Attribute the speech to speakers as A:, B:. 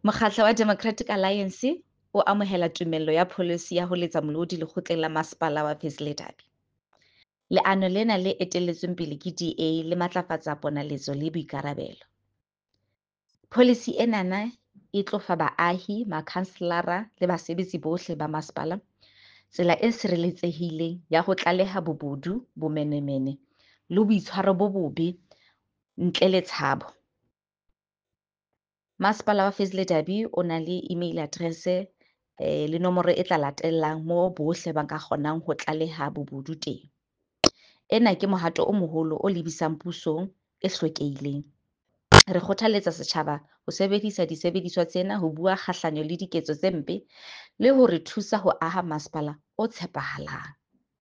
A: Mokgatlo wa Democratic Alliance o amohela tumello ya pholisi ya ho letsa molodi Lekgotleng la Masepala wa Fezile Dabi. Leano lena le etelletsweng pele ke DA le matlafatsa ponaletso le boikarabelo. Pholisi enana e tlo fa baahi, makhanselara le basebetsi bohle ba masepala tsela e sireletsehileng ya ho tlaleha bobodu, bomenemene le boitshwaro bo bobe ntle le tshabo. Masepala wa Fezile Dabi o na le email address le nomoro e tla latellang moo bohle ba ka kgonang ho tlaleha bobodu teng. Ena ke mohato o moholo o lebisang pusong e hlwekileng. Re kgothaletsa setjhaba ho sebedisa disebediswa tsena ho bua kgahlano le diketso tse mpe le ho re thusa ho aha masepala o tshepahalang.